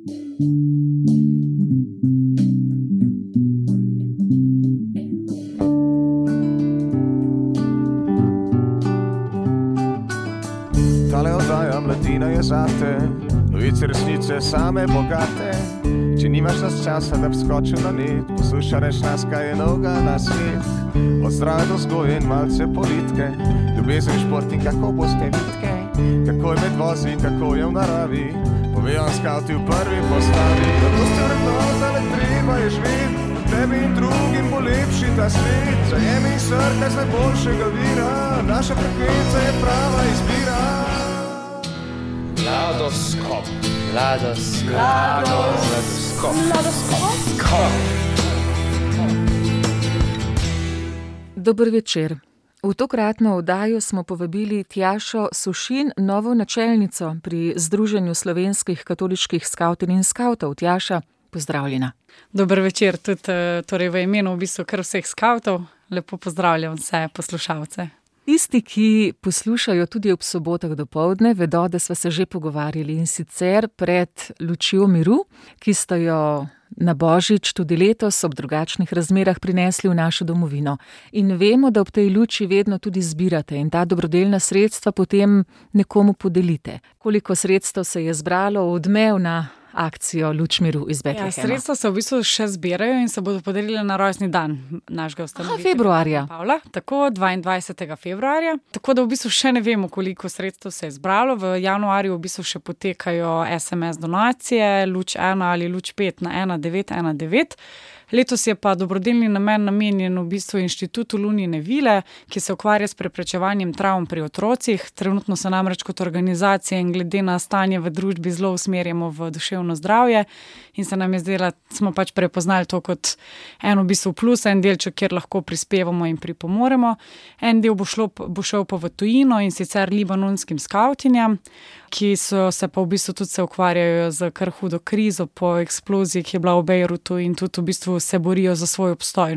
Tale oddaja Mladina je zate, novice resnice same bogate. Če nimaš nas časa, da bi skočil na net, poslušaj reč nas, kaj je novega na svet. Od zdrave do vzgoje in malce politike, ljubezen, šport in kako boste vitke, kako je med vozi in kako je v naravi, povejo nam skavti v prvi postavi. Zato ste vrednota, le treba je živeti, tebi in drugim bo lepši ta svet. Zajemi in srkaj z najboljšega vira, naša frekvenca je prava izbira. Mladoskop. Dober večer. V tokratno oddajo smo povabili Tjašo Sušin, novo načelnico pri Združenju slovenskih katoliških skavtinj in skavtov. Tjaša, pozdravljena. Dober večer, tudi torej v imenu v bistvu kar vseh skavtov. Lepo pozdravljam vse poslušalce. Tisti, ki poslušajo tudi ob sobotah dopoldne, vedo, da sva se že pogovarjali, in sicer pred lučjo miru, ki sta jo na Božič tudi letos ob drugačnih razmerah prinesli v našo domovino. In vemo, da ob tej luči vedno tudi zbirate in ta dobrodelna sredstva potem nekomu podelite. Koliko sredstev se je zbralo v odmev na akcijo Luč miru iz Betlehema? Sredstva se v bistvu še zbirajo in se bodo podelile na rojstni dan našega ustanovitelja. Februarja. Pavla, tako 22. februarja. Tako da v bistvu še ne vemo, koliko sredstev se je zbralo. V januarju v bistvu še potekajo SMS donacije, Luč 1 ali Luč 5 na 1919. Letos je pa dobrodelni namen namenjen v bistvu Inštitutu Lunine vile, ki se ukvarja s preprečevanjem travm pri otrocih. Trenutno se namreč kot organizacija in glede na stanje v družbi zelo usmerjamo v duševno zdravje in se nam je zdela, smo pač prepoznali to kot en v bistvu plus, en delček, kjer lahko prispevamo in pripomoremo. En del bo šel pa v tujino, in sicer libanonskim skavtinjam, ki so se pa v bistvu tudi se ukvarjajo z kar hudo krizo po eksploziji, ki je bila v Bejrutu, in tudi v bistvu se borijo za svoj obstoj.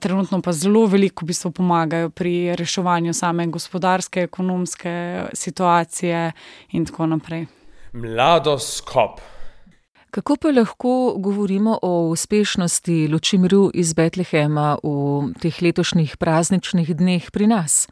Trenutno pa zelo veliko v bistvu pomagajo pri reševanju same gospodarske, ekonomske situacije in tako naprej. Mladoskop. Kako pa lahko govorimo o uspešnosti luči miru iz Betlehema v teh letošnjih prazničnih dneh pri nas?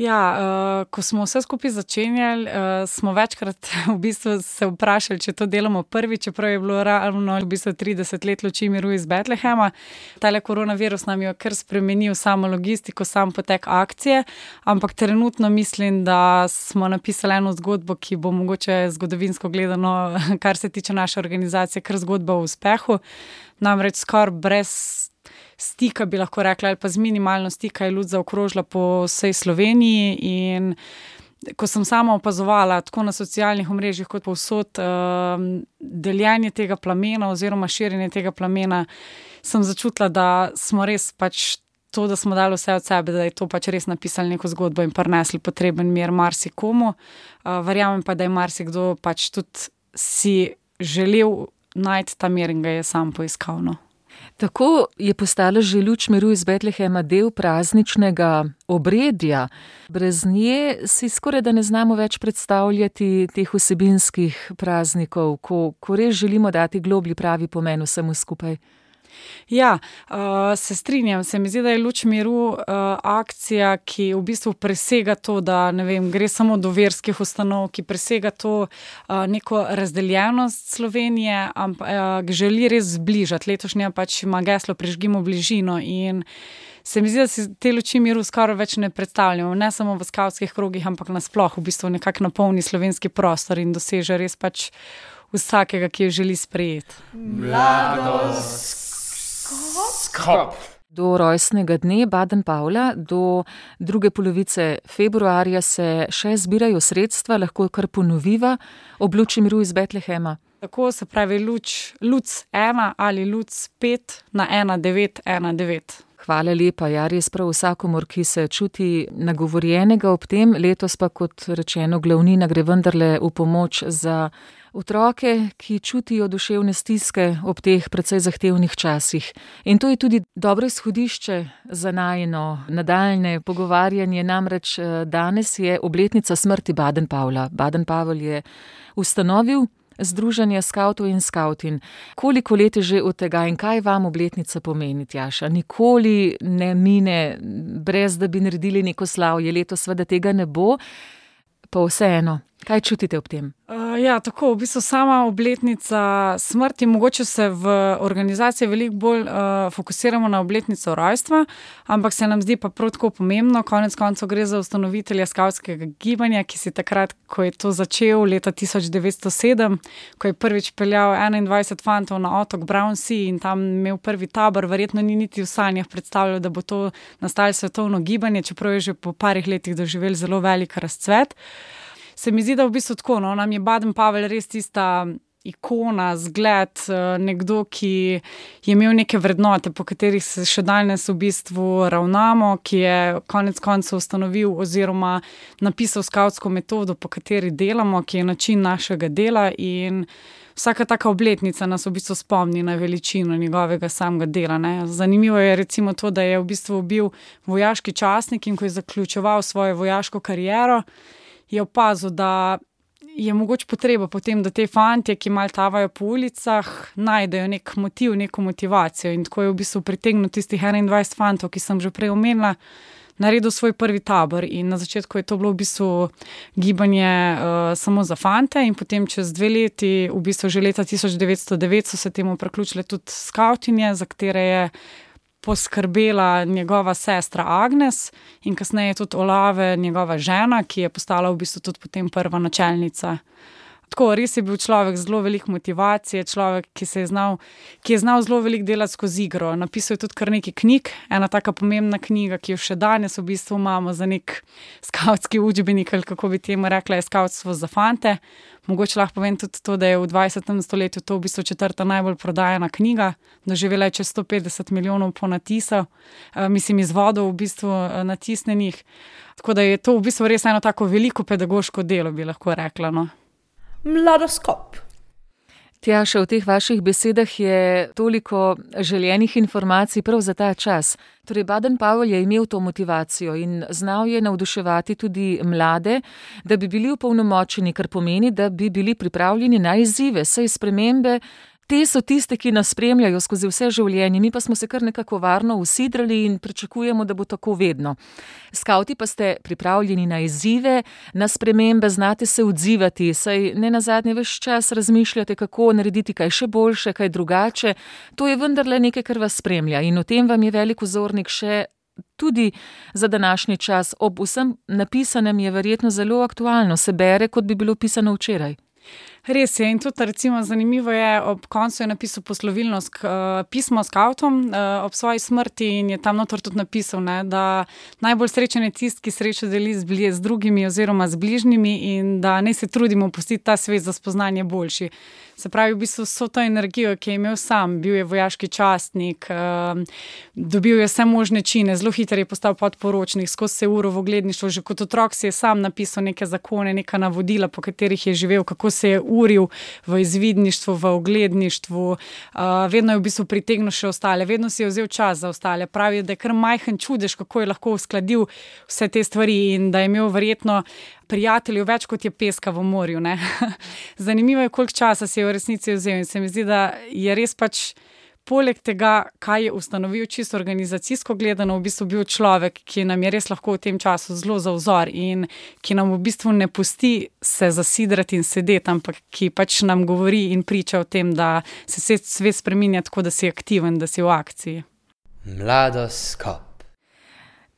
Ja, ko smo vse skupaj začenjali, smo večkrat v bistvu se vprašali, če to delamo prvi, čeprav je bilo ravno v bistvu 30 let luči miru iz Betlehema. Tale koronavirus nam je kar spremenil samo logistiko, sam potek akcije, ampak trenutno mislim, da smo napisali eno zgodbo, ki bo mogoče zgodovinsko gledano, kar se tiče naše organizacije, kar zgodba o uspehu. Namreč skoraj brez stika, bi lahko rekla, ali pa z minimalno stika je luč zaokrožila po vsej Sloveniji, in ko sem sama opazovala tako na socialnih omrežjih kot povsod deljenje tega plamena oziroma širjenje tega plamena, sem začutila, da smo res pač to, da smo dali vse od sebe, da je to pač res napisali neko zgodbo in prinesli potreben mir marsikomu. Verjamem pa, da je marsikdo pač tudi si želel najti ta mir in ga je sam poiskal. Tako je postala že luč miru iz Betlehema del prazničnega obredja. Brez nje si skoraj da ne znamo več predstavljati teh vsebinskih praznikov, ko res želimo dati globlji pravi pomen vsemu skupaj. Ja, se strinjam. Se mi zdi, da je luč miru akcija, ki v bistvu presega to, da ne vem, gre samo do verskih ustanov, ki presega to neko razdeljenost Slovenije, ampak želi res zbližati. Letošnja pač ima geslo Prižgimo bližino, in se mi zdi, da si te luči miru skoraj več ne predstavljamo, ne samo v skavtskih krogih, ampak nasploh v bistvu nekako napolni slovenski prostor in doseže res pač vsakega, ki jo želi sprejeti. Skop. Do rojstnega dne Baden Pavla, do druge polovice februarja se še zbirajo sredstva, lahko kar ponoviva, ob luči miru iz Betlehema. Tako se pravi luč 1 ali luč 5 na 1919. Hvala lepa, ja, res prav vsakomur, ki se čuti nagovorjenega ob tem. Letos pa, kot rečeno, glavnina gre vendarle v pomoč za otroke, ki čutijo duševne stiske ob teh precej zahtevnih časih. In to je tudi dobro izhodišče za najino nadaljne pogovarjanje. Namreč danes je obletnica smrti Baden Pavla. Baden Pavel je ustanovil Združenja skavtov in skavtin. Koliko let je že od tega in kaj vam obletnica pomeni, Tjaša? Nikoli ne mine, brez da bi naredili neko slavje. Letos seveda tega ne bo, pa vseeno. Kaj čutite ob tem? Tako, v bistvu sama obletnica smrti, mogoče se v organizaciji veliko bolj fokusiramo na obletnico rojstva, ampak se nam zdi pa prav tako pomembno, konec koncev gre za ustanovitelja skavtskega gibanja, ki si takrat, ko je to začel, leta 1907, ko je prvič peljal 21 fantov na otok Brownsea in tam imel prvi tabor, verjetno ni niti v sanjah predstavljal, da bo to nastalo svetovno gibanje, čeprav je že po parih letih doživel zelo velik razcvet. Se mi zdi, da v bistvu tako, nam je Baden-Powell res tista ikona, zgled, nekdo, ki je imel neke vrednote, po katerih se še danes v bistvu ravnamo, ki je konec koncev ustanovil oziroma napisal skavtsko metodo, po kateri delamo, ki je način našega dela in vsaka taka obletnica nas v bistvu spomni na veličino njegovega samega dela. Ne. Zanimivo je recimo to, da je v bistvu bil vojaški častnik in ko je zaključeval svojo vojaško kariero, je opazil, da je mogoče potreba potem, da te fantje, ki malo tavajo po ulicah, najdejo nek motiv, neko motivacijo in tako je v bistvu pritegnil tistih 21 fantov, ki sem že prej omenila, naredil svoj prvi tabor in na začetku je to bilo v bistvu gibanje samo za fante in potem čez 2 leti, v bistvu že leta 1909 so se temu priključile tudi skavtinje, za katere je poskrbela njegova sestra Agnes in kasneje tudi Olave, njegova žena, ki je postala v bistvu tudi potem prva načelnica. Tako, res je bil človek z zelo veliko motivacije, človek, ki je znal zelo veliko delati skozi igro. Napisal je tudi kar nekaj knjig, ena taka pomembna knjiga, ki jo še danes v bistvu imamo za nek skavtski učbenik, ali kako bi temu rekla, je Skavtstvo za fante. Mogoče lahko povem tudi to, da je v 20. stoletju to v bistvu 4. najbolj prodajana knjiga, doživela je čez 150 milijonov ponatisov, izvodov v bistvu natisnenih. Tako da je to v bistvu res eno tako veliko pedagoško delo, bi lahko rekla, no. Mladoskop. Tjaša, v teh vaših besedah je toliko željenih informacij prav za ta čas. Torej, Baden-Powell je imel to motivacijo in znal je navduševati tudi mlade, da bi bili opolnomočeni, kar pomeni, da bi bili pripravljeni na izzive, saj spremembe. Te so tiste, ki nas spremljajo skozi vse življenje, mi pa smo se kar nekako varno usidrali in pričakujemo, da bo tako vedno. Skavti pa ste pripravljeni na izzive, na spremembe, znate se odzivati, saj ne nazadnje ves čas razmišljate, kako narediti kaj še boljše, kaj drugače. To je vendarle nekaj, kar vas spremlja in o tem vam je velik vzornik še tudi za današnji čas. Ob vsem napisanem je verjetno zelo aktualno, se bere, kot bi bilo pisano včeraj. Res je in tudi recimo zanimivo je, ob koncu je napisal poslovilno pismo skavtom ob svoji smrti in je tam notor tudi napisal, ne, da najbolj srečen je tisti, ki srečo deli z drugimi oziroma z bližnjimi in da ne se trudimo pustiti ta svet za spoznanje boljši. Se pravi, v bistvu so to energijo, ki je imel sam, bil je vojaški častnik, dobil je vse možne čine, zelo hitro je postal podporočnik, skozi se uro v ogledništvu, že kot otrok si je sam napisal neke zakone, neka navodila, po katerih je živel, kako se je uril v izvidništvu, v ogledništvu, vedno je v bistvu pritegnil še ostale, vedno si je vzel čas za ostale. Pravi, da je kar majhen čudež, kako je lahko uskladil vse te stvari in da je imel verjetno prijateljev več, kot je peska v morju. Ne? Zanimivo je, koliko časa si je v resnici vzel in se mi zdi, da je res pač poleg tega, kaj je ustanovil čisto organizacijsko gledano, v bistvu bil človek, ki nam je res lahko v tem času zelo za vzor in ki nam v bistvu ne pusti se zasidrati in sedeti, ampak ki pač nam govori in priča o tem, da se svet spreminja tako, da si aktiven, da si v akciji. Mladoskop.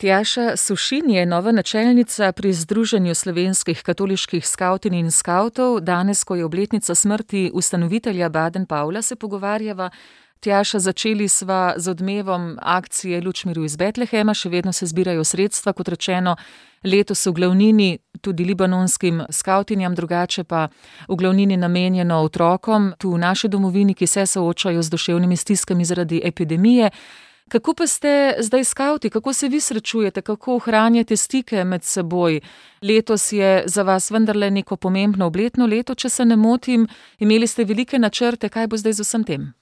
Tjaša Sušin je nova načelnica pri Združenju slovenskih katoliških skavtin in skavtov. Danes, ko je obletnica smrti ustanovitelja Baden-Powella, se pogovarjava. Tjaša, začeli sva z odmevom akcije Luč miru iz Betlehema, še vedno se zbirajo sredstva, kot rečeno, letos v glavnini tudi libanonskim skavtinjam, drugače pa v glavnini namenjeno otrokom tu v naši domovini, ki se soočajo z duševnimi stiskami zaradi epidemije. Kako pa ste zdaj skavti, kako se vi srečujete, kako ohranjate stike med seboj? Letos je za vas vendarle neko pomembno obletno leto, če se ne motim, imeli ste velike načrte, kaj bo zdaj z vsem tem?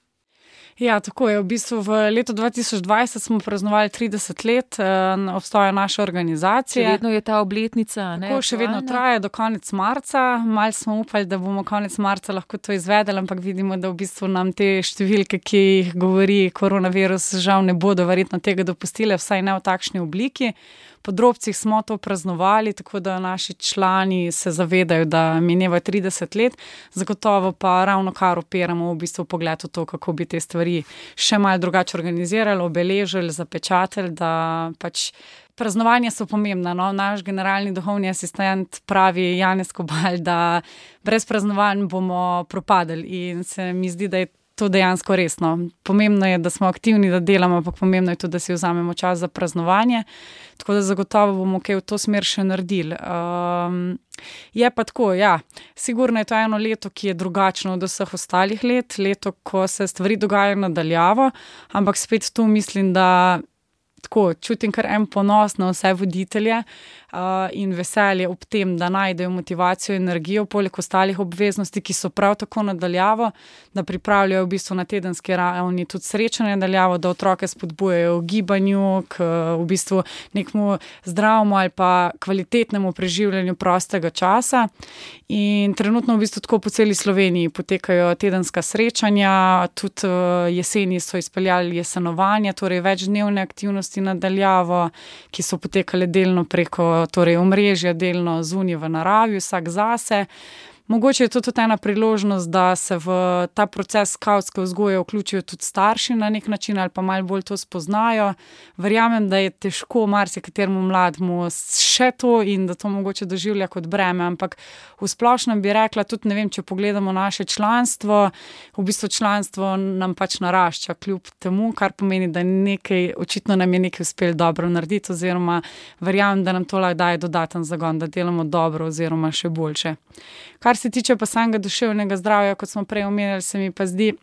Ja, tako je. V bistvu v letu 2020 smo praznovali 30 let obstoja naše organizacije. Še vedno je ta obletnica, ne? Tako še vedno traja do konec marca. Malo smo upali, da bomo konec marca lahko to izvedeli, ampak vidimo, da v bistvu nam te številke, ki jih govori koronavirus, žal ne bodo verjetno tega dopustile, vsaj ne v takšni obliki. Po drobcih smo to praznovali, tako da naši člani se zavedajo, da mineva 30 let, zagotovo pa ravno kar opiramo v bistvu pogled v to, kako bi te stvari še malo drugače organizirali, obeležili, zapečatili, da pač praznovanja so pomembna. No? Naš generalni duhovni asistent pravi Janez Kobal, da brez praznovanj bomo propadali in se mi zdi, da je to dejansko resno. Pomembno je, da smo aktivni, da delamo, ampak pomembno je tudi, da si vzamemo čas za praznovanje. Tako da zagotovo bomo kaj v to smer še naredili. Je pa tako, ja, sigurno je to eno leto, ki je drugačno od vseh ostalih let, leto, ko se stvari dogajajo nadaljavo, ampak spet tu mislim, da tako čutim kar en ponos na vse voditelje in veselje ob tem, da najdejo motivacijo in energijo poleg ostalih obveznosti, ki so prav tako nadaljavo, da pripravljajo v bistvu na tedenski ravni tudi srečanje nadaljavo, da otroke spodbujajo v gibanju, k v bistvu nekemu zdravemu ali pa kvalitetnemu preživljanju prostega časa. In trenutno v bistvu tako po celi Sloveniji potekajo tedenska srečanja, tudi jeseni so izpeljali jesenovanja, torej večdnevne aktivnosti nadaljavo, ki so potekale delno preko torej omrežja, delno zunaj v naravi, vsak zase. Mogoče je to tudi ena priložnost, da se v ta proces skavtske vzgoje vključijo tudi starši na nek način ali pa malo bolj to spoznajo. Verjamem, da je težko marsikateremu mlademu še to in da to mogoče doživlja kot breme, ampak v splošnem bi rekla tudi, ne vem, če pogledamo naše članstvo, v bistvu članstvo nam pač narašča kljub temu, kar pomeni, da nekaj, očitno nam je nekaj uspelo dobro narediti oziroma verjamem, da nam to lahko daje dodaten zagon, da delamo dobro oziroma še boljše. Kar se tiče pa samega duševnega zdravja, kot smo prej omenjali, se mi pa zdi,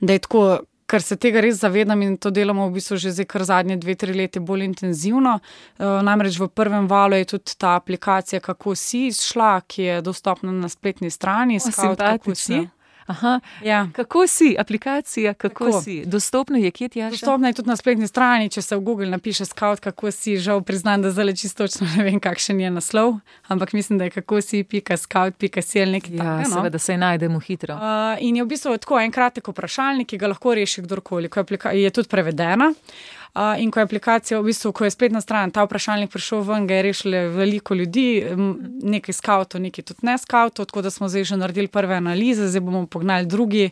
da je tako, ker se tega res zavedam in to delamo v bistvu že zdaj kar zadnje 2-3 leta bolj intenzivno. Namreč v prvem valu je tudi ta aplikacija Kako si izšla, ki je dostopna na spletni strani. Kako si. Aha, ja. Kako si, aplikacija, kako si. Dostopna je kje, Tjaša? Dostopna je tudi na spletni strani, če se v Google napiše Scout, kako si, žal priznam, da zdaj čisto točno ne vem, kakšen je naslov, ampak mislim, da je kakosi.scout.si ali nekaj takega. Ja, seveda se najdemo hitro. In je v bistvu tako en kratek vprašalnik, ki ga lahko reši kdorkoli, je tudi prevedena. In ko je aplikacija, v bistvu, ko je spletna stran, ta vprašalnik prišel ven, ga je rešilo veliko ljudi, nekaj skavtov, nekaj tudi ne skavtov, tako da smo zdaj že naredili prve analize, zdaj bomo pognali drugi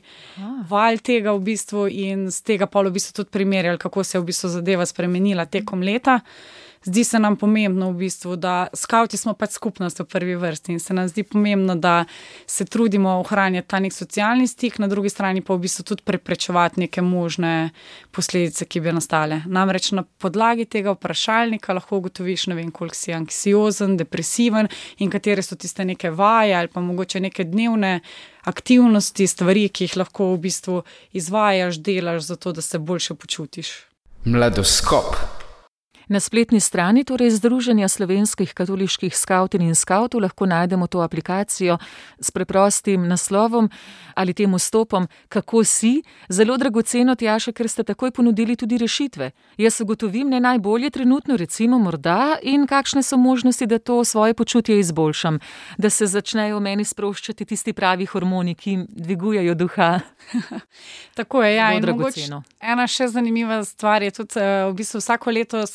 val tega v bistvu in z tega pol v bistvu tudi primerjali, kako se je v bistvu zadeva spremenila tekom leta. Zdi se nam pomembno v bistvu, da skavti smo pač skupnost v prvi vrsti in se nam zdi pomembno, da se trudimo ohranjati ta nek socialni stik, na drugi strani pa v bistvu tudi preprečevati neke možne posledice, ki bi nastale. Namreč na podlagi tega vprašalnika lahko ugotoviš, ne vem, koliko si anksiozen, depresiven in katere so tiste neke vaje ali pa mogoče neke dnevne aktivnosti, stvari, ki jih lahko v bistvu izvajaš, delaš zato, da se boljše počutiš. Mladoskop. Na spletni strani, torej Združenja slovenskih katoliških skavtin in skavtov, lahko najdemo to aplikacijo s preprostim naslovom ali tem vstopom Kako si. Zelo dragoceno, Tjaša, ker ste takoj ponudili tudi rešitve. Jaz ugotovim, ne najbolje trenutno, recimo morda, in kakšne so možnosti, da to svoje počutje izboljšam, da se začnejo meni sproščati tisti pravi hormoni, ki dvigujejo duha. Tako je, ja. Zelo dragoceno. Ena še zanimiva stvar je tudi v bistvu vsako leto,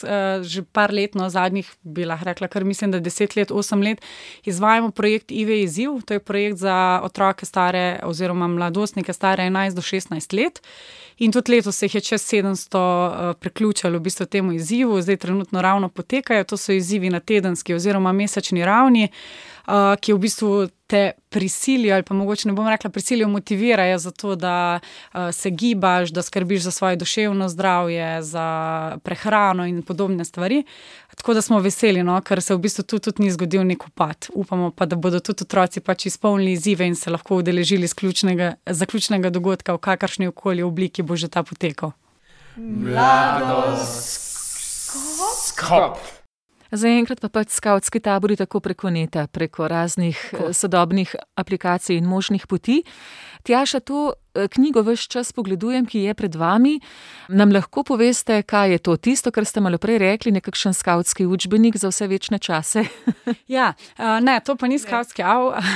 že par let, zadnjih bi lahko rekla, kar mislim, da 10 let, 8 let, izvajamo projekt Ive izziv. To je projekt za otroke stare oziroma mladostnike stare 11 do 16 let. In tudi letos se jih je čez 700 priključilo v bistvu temu izzivu. Zdaj trenutno ravno potekajo. To so izzivi na tedenski oziroma mesečni ravni, ki v bistvu te prisilijo ali pa mogoče ne bom rekla prisilijo, motivirajo za to, da se gibaš, da skrbiš za svoje duševno zdravje, za prehrano in podobne stvari. Tako da smo veseli, ker se v bistvu tudi ni zgodil nek upad. Upamo pa, da bodo tudi otroci pač izpolnili izzive in se lahko udeležili zaključnega dogodka v kakršni okoli obliki bo že ta potekal. Mladoskop. Zaenkrat pa pač skavtski tabori tako preko neta, preko raznih sodobnih aplikacij in možnih poti. Tjaša, to knjigo ves čas pogledujem, ki je pred vami. Nam lahko poveste, kaj je to? Tisto, kar ste malo prej rekli, nekakšen skavtski učbenik za vse večne čase? Ja, ne, to pa ni skavtski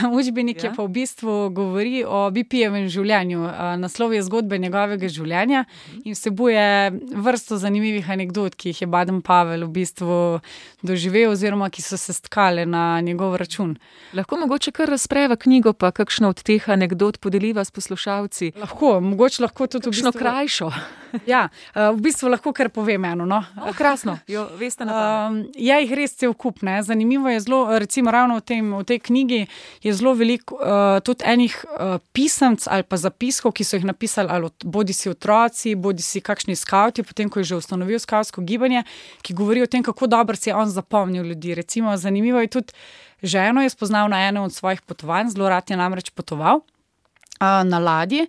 učbenik, je pa v bistvu govori o BP-jevem življenju. Naslov je zgodbe njegovega življenja in vsebuje vrsto zanimivih anekdot, ki jih je Baden-Powell v bistvu doživel oziroma ki so se stkale na njegov račun. Lahko mogoče kar razpreva knjigo, pa kakšno od teh anekdot podeliva s poslušalci? Mogoče lahko tudi kakšno krajšo. Ja, v bistvu lahko kar povem eno, no. Krasno, jo veste na pamet. Ja, jih res cel kup, ne. Zanimivo je zelo, recimo ravno v tej knjigi je zelo veliko tudi enih pisemc ali pa zapiskov, ki so jih napisali ali bodisi otroci, bodisi kakšni skavti, potem ko je že ustanovil skavtsko gibanje, ki govori o tem, kako dobro si je on zapomnil ljudi. Recimo, zanimivo je tudi, ženo je spoznal na enem od svojih potovanj, zelo rad je namreč potoval na ladji,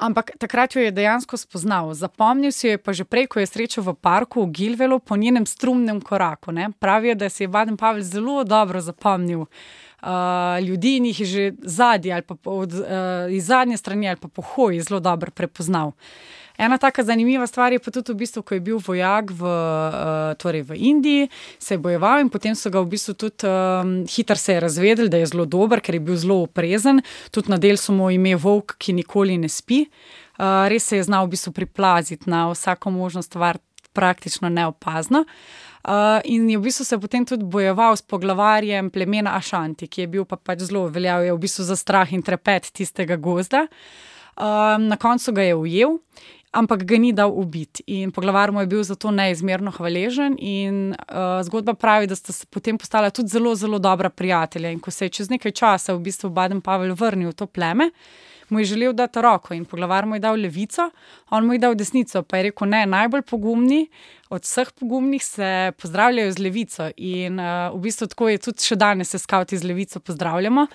ampak takrat jo je dejansko spoznal. Zapomnil si jo je pa že prej, ko je srečal v parku v Gilvelu po njenem strumnem koraku. Ne. Pravijo, da si je Baden-Powell zelo dobro zapomnil ljudi in jih je že zadnji ali pa iz zadnje strani ali pa po hoji zelo dobro prepoznal. Ena taka zanimiva stvar je pa tudi v bistvu, ko je bil vojak v Indiji, se je bojeval in potem so ga v bistvu tudi hitro se je razvedel, da je zelo dober, ker je bil zelo oprezen. Tudi na del so mu ime volk, ki nikoli ne spi. Res se je znal v bistvu priplaziti na vsako možno stvar praktično neopazno. In je v bistvu se potem tudi bojeval s poglavarjem plemena Ašanti, ki je bil pa pač zelo veljal je v bistvu za strah in trepet tistega gozda. Na koncu ga je ujel, ampak ga ni dal ubiti in poglavar mu je bil zato neizmerno hvaležen in zgodba pravi, da sta se potem postala tudi zelo, zelo dobra prijatelja in ko se je čez nekaj časa v bistvu Baden-Powell vrnil v to pleme, mu je želel dati roko in poglavar mu je dal levico, on mu je dal desnico, pa je rekel, ne, najbolj pogumni od vseh pogumnih se pozdravljajo z levico in v bistvu tako je tudi še danes se skavti z levico pozdravljamo,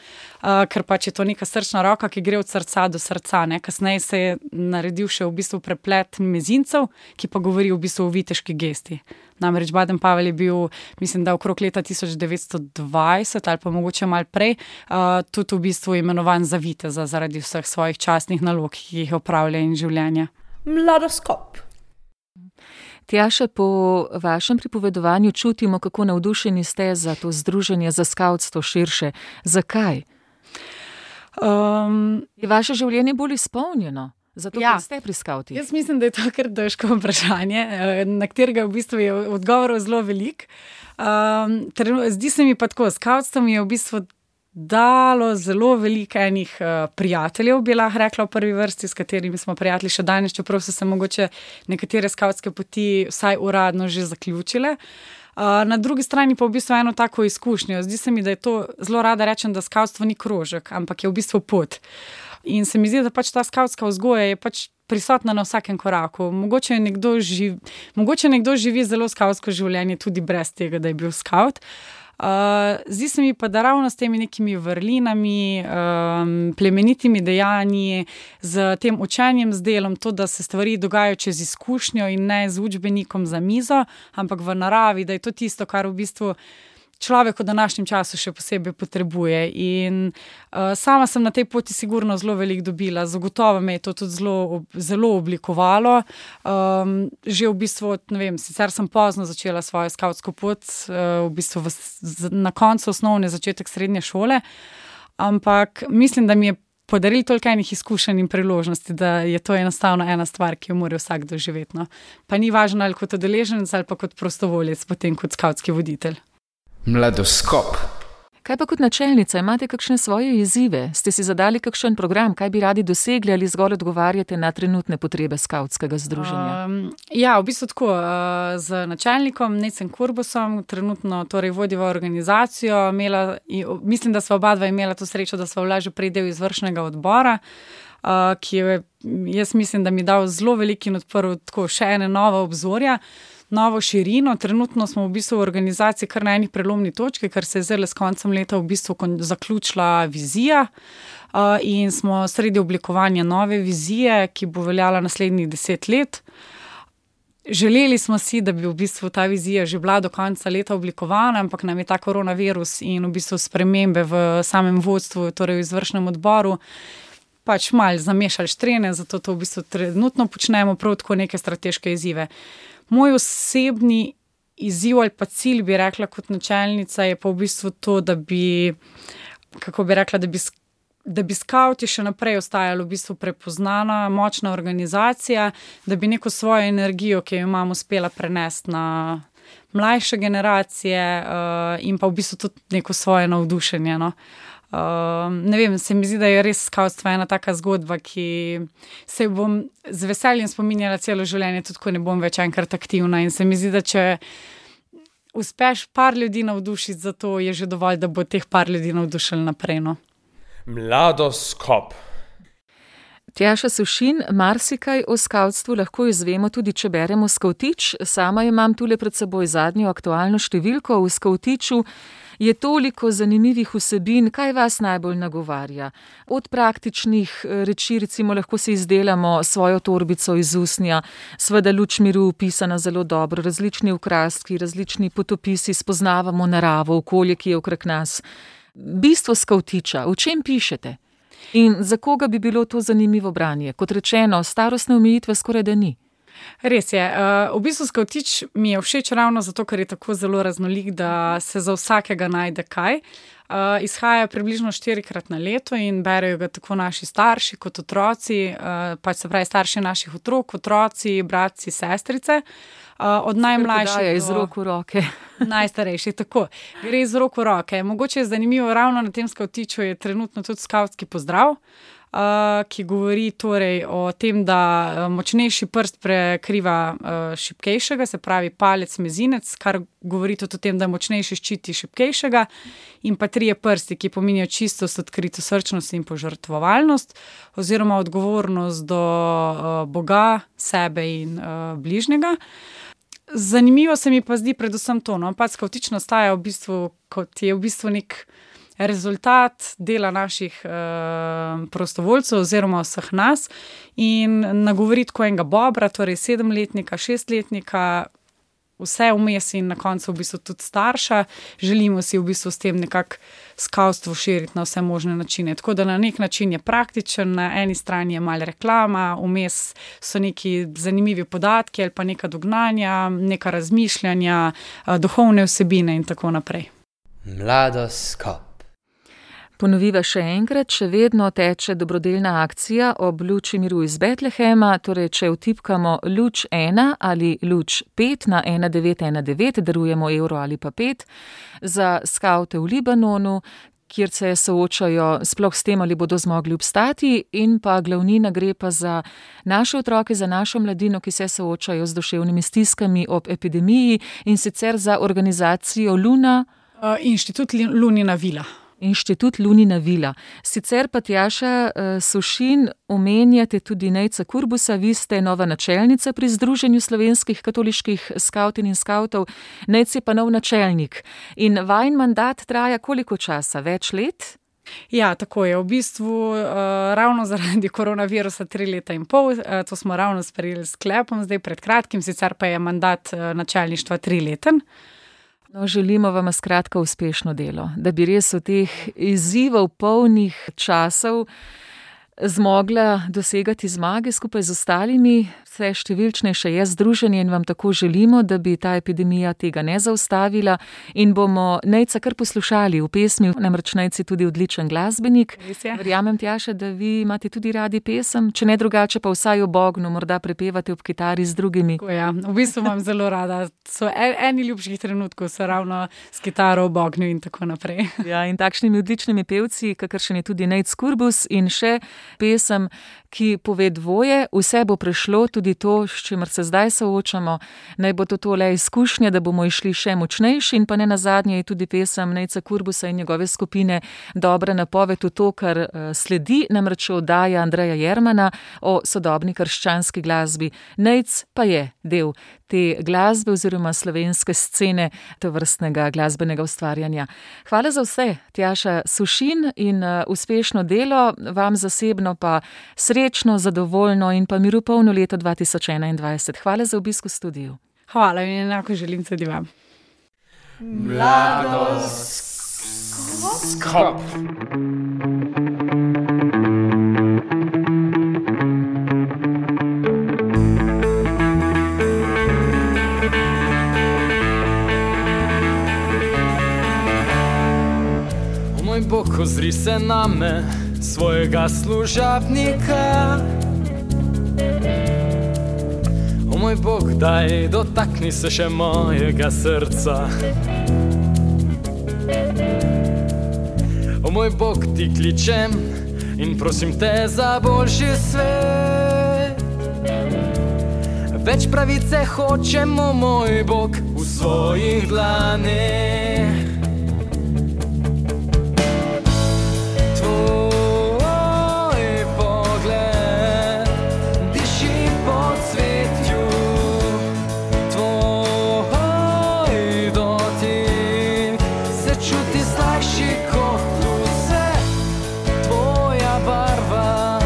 ker pač je to neka srčna roka, ki gre od srca do srca, ne. Kasneje se je naredil še v bistvu preplet mezincev, ki pa govori v bistvu o viteški gesti. Namreč Baden-Powell je bil, mislim, da okrog leta 1920 ali pa mogoče malo prej, tudi v bistvu imenovan za viteza zaradi vseh svojih častnih nalog, ki jih opravlja in življenja. Mladoskop. Tjaša, po vašem pripovedovanju čutimo, kako navdušeni ste za to združenje, za skavtstvo širše. Zakaj? Je vaše življenje bolj izpolnjeno? Zato, ker ste pri skavtih? Jaz mislim, da je to kar težko vprašanje, na katerega v bistvu je odgovorov zelo veliko. Zdi se mi pa tako, skavtstvo mi je v bistvu dalo zelo veliko enih prijateljev, bi lahko rekla v prvi vrsti, s katerimi smo prijatelji še danes, čeprav so se mogoče nekatere skavtske poti vsaj uradno že zaključile. Na drugi strani pa v bistvu eno tako izkušnjo. Zdi se mi, da je to, zelo rada rečem, da skavtstvo ni krožek, ampak je v bistvu pot. In se mi zdi, da pač ta skavtska vzgoja je pač prisotna na vsakem koraku. Mogoče nekdo živi zelo skavtsko življenje tudi brez tega, da je bil skavt. Zdi se mi pa, da ravno s temi nekimi vrlinami, plemenitimi dejanji, z tem učenjem, z delom, to, da se stvari dogajajo čez izkušnjo in ne z učbenikom za mizo, ampak v naravi, da je to tisto, kar v bistvu človek v današnjem času še posebej potrebuje. In sama sem na tej poti sigurno zelo veliko dobila, zagotovo me je to tudi zelo oblikovalo. Že v bistvu, ne vem, sicer sem pozno začela svojo skavtsko pot, v bistvu na koncu osnovne, začetek srednje šole, ampak mislim, da mi je podarili toliko enih izkušenj in priložnosti, da je to enostavno ena stvar, ki jo mora vsak doživeti. No. Pa ni važno ali kot udeleženec ali pa kot prostovoljec, potem kot skavtski voditelj. Mladoskop. Kaj pa kot načelnica, imate kakšne svoje izzive? Ste si zadali kakšen program, kaj bi radi dosegli ali zgolj odgovarjate na trenutne potrebe skavtskega združenja? Ja, v bistvu tako, z načelnikom Necem Kurbusom, trenutno torej vodiva organizacijo, mislim, da sva oba dva imela to srečo, da sva bila že prej del izvršnega odbora, ki je, jaz mislim, da mi dal zelo veliko in odprl tako še ene nova obzorja, novo širino. Trenutno smo v bistvu v organizaciji kar na eni prelomni točki, ker se je zdaj s koncem leta v bistvu zaključila vizija in smo sredi oblikovanja nove vizije, ki bo veljala naslednjih 10 let. Želeli smo si, da bi v bistvu ta vizija že bila do konca leta oblikovana, ampak nam je ta koronavirus in v bistvu spremembe v samem vodstvu, torej v izvršnem odboru, pač malo zamešali štrene, zato to v bistvu trenutno počnemo, prav tako neke strateške izzive. Moj osebni izziv ali pa cilj, bi rekla kot načelnica, je pa v bistvu to, da bi skauti še naprej ostajali v bistvu prepoznana, močna organizacija, da bi neko svojo energijo, ki jo imamo, uspela prenesti na mlajše generacije in pa v bistvu tudi neko svoje navdušenje, no. Ne vem, se mi zdi, da je res skautstvo ena taka zgodba, ki se bom z veseljem spominjala celo življenje, tudi ko ne bom več enkrat aktivna, in se mi zdi, da če uspeš par ljudi navdušiti za to, je že dovolj, da bo teh par ljudi navdušili naprej, no. Mladoskop. Tjaša Sušin, marsikaj o skavtstvu lahko izvemo tudi, če beremo Skavtič. Sama imam tule pred seboj zadnjo aktualno številko. V Skavtiču je toliko zanimivih vsebin. Kaj vas najbolj nagovarja? Od praktičnih reči, recimo lahko si izdelamo svojo torbico iz usnja, seveda Luč miru pisana zelo dobro, različni okraski, različni potopisi, spoznavamo naravo, okolje, ki je okrog nas. Bistvo Skavtiča, o čem pišete? In za koga bi bilo to zanimivo branje? Kot rečeno, starostne omejitve skoraj da ni. Res je. V bistvu Skavtič mi je všeč ravno zato, ker je tako zelo raznolik, da se za vsakega najde kaj. Izhaja približno 4-krat na leto in berejo ga tako naši starši kot otroci, pač se pravi starši naših otrok, otroci, bratci, sestrice. Od najmlajših iz rok v roke. Najstarejših, tako. Gre iz rok v roke. Mogoče je zanimivo, ravno na tem Skavtiču je trenutno tudi skavtski pozdrav, ki govori torej o tem, da močnejši prst prekriva šibkejšega, se pravi palec, mezinec, kar govori tudi o tem, da močnejši ščiti šibkejšega, in pa 3 prsti, ki pomenijo čistost, odkrito srčnost in požrtvovalnost oziroma odgovornost do Boga, sebe in bližnjega. Zanimivo se mi pa zdi predvsem to, no, pač Skavtič nastaja v bistvu, kot je v bistvu nek rezultat dela naših prostovoljcev oziroma vseh nas in nagovori tako enega bobra, torej 7-letnika, 6-letnika, vse vmes in na koncu v bistvu tudi starša. Želimo si v bistvu s tem nekako skavtstvo širiti na vse možne načine. Tako da na nek način je praktičen, na eni strani je malo reklama, vmes so neki zanimivi podatki ali pa neka dognanja, neka razmišljanja, duhovne vsebine in tako naprej. Mladoskop. Ponoviva še enkrat, še vedno teče dobrodelna akcija ob Luči miru iz Betlehema, torej če vtipkamo Luč 1 ali Luč 5 na 1919, darujemo evro ali pa 5 za skavte v Libanonu, kjer se soočajo sploh s tem, ali bodo zmogli obstati, in pa glavnina gre pa za naše otroke, za našo mladino, ki se soočajo z duševnimi stiskami ob epidemiji, in sicer za organizacijo Luna. Inštitut Lunina vila. Inštitut Lunina vila. Sicer pa Tjaša Sušin omenjate tudi Nejca Kurbusa, vi ste nova načelnica pri Združenju slovenskih katoliških skavtin in skavtov, Nejc je pa nov načelnik. In vajin mandat traja koliko časa? Več let? Ja, tako je. V bistvu ravno zaradi koronavirusa 3 leta in pol, to smo ravno sprejeli s sklepom zdaj pred kratkim, sicer pa je mandat načelništva 3-leten. No, želimo vam skratka uspešno delo, da bi res v teh izzivov polnih časov zmogla dosegati zmage skupaj z ostalimi. Vse številčnejše je združenje in vam tako želimo, da bi ta epidemija tega ne zaustavila, in bomo Nejca kar poslušali v pesmi, namreč Nejc je tudi odličen glasbenik. Verjamem, Tjaša, da vi imate tudi radi pesem, če ne drugače pa vsaj ob ognju, morda prepevate ob kitari z drugimi. Ja, v bistvu imam zelo rada. So eni ljubših trenutkov so ravno s kitaro ob ognju in tako naprej. Ja, in takšnimi odličnimi pevci, kakršen je tudi Nejc Kurbus, in še pesem, ki pove dvoje, vse bo prešlo, tudi to, s čimer se zdaj soočamo, naj bo to le izkušnja, da bomo išli še močnejši, in pa ne nazadnje je tudi pesem Nejca Kurbusa in njegove skupine dobra napoved v to, kar sledi, namreč oddaja Andreja Jermana o sodobni krščanski glasbi. Nejc pa je del te glasbe oziroma slovenske scene tovrstnega glasbenega ustvarjanja. Hvala za vse, Tjaša Sušin, in uspešno delo, vam zasebno pa srečno, zadovoljno in pa miropolno leto 2021. Hvala za obisk v studiu. Hvala in enako želim tudi vam. Mladoskop. se name svojega služabnika. O moj Bog, daj, dotakni se še mojega srca. O moj Bog, ti kličem in prosim te za boljši svet. Več pravice hočemo, moj Bog, v svojih dlaneh. Tvoj pogled diši po cvetju, tvoj dotik se čuti slajši kot vse. Tvoja barva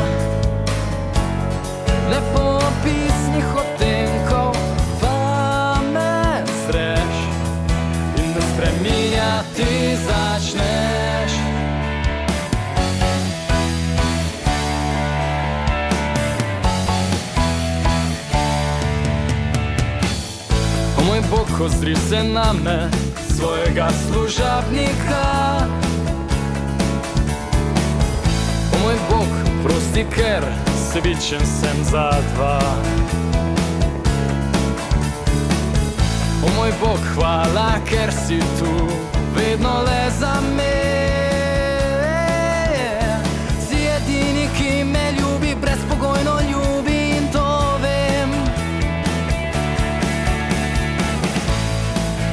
ne popisnih odtenkov, pa me zreš in me spreminjati začneš. O moj Bog, ozri se name svojega služabnika. O moj Bog, prosti, ker sebičen sem za dva. O moj Bog, hvala, ker si tu vedno le za me. Si edini, ki me ljubi, brezpogojno ljubi in to vem.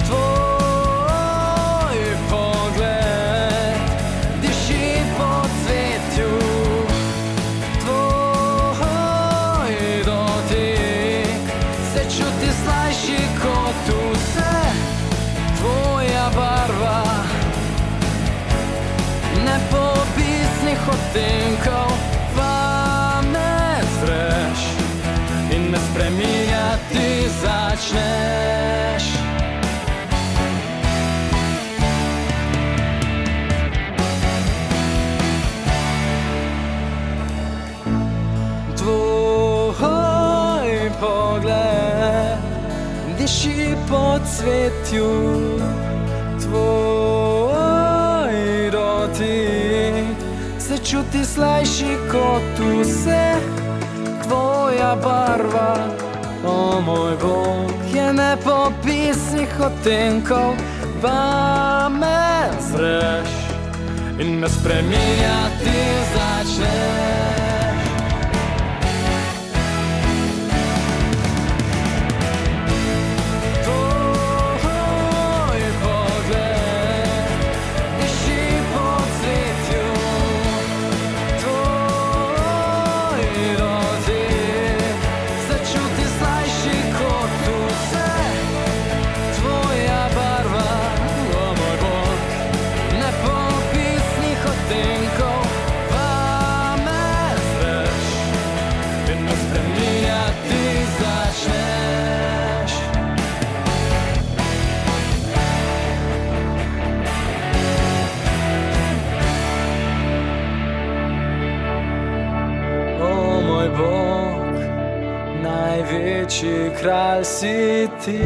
Tvoj pogled diši po cvetju, tvoj dotik se čuti slajši kot vse. Tvoja barva nepopisnih odtenkov, pa me zreš in me spreminjati začneš. Tvoj pogled diši po cvetju, tvoj dotik se čuti slajši kot vse. Tvoja barva, o moj Bog, je nepopisnih odtenkov, pa me zreš in me spreminjati začneš. Tvoj pogled diši po cvetju, tvoj dotik se čuti slajši kot vse. Tvoja barva, o moj Bog, nepopisnih odtenkov, pa me zreš in me spreminjati začneš. O moj Bog, največji kralj si ti.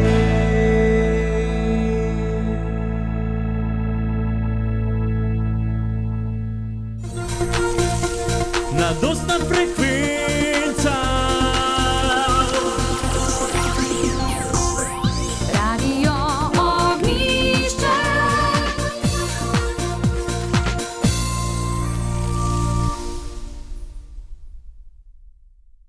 Mladostna frekvenca.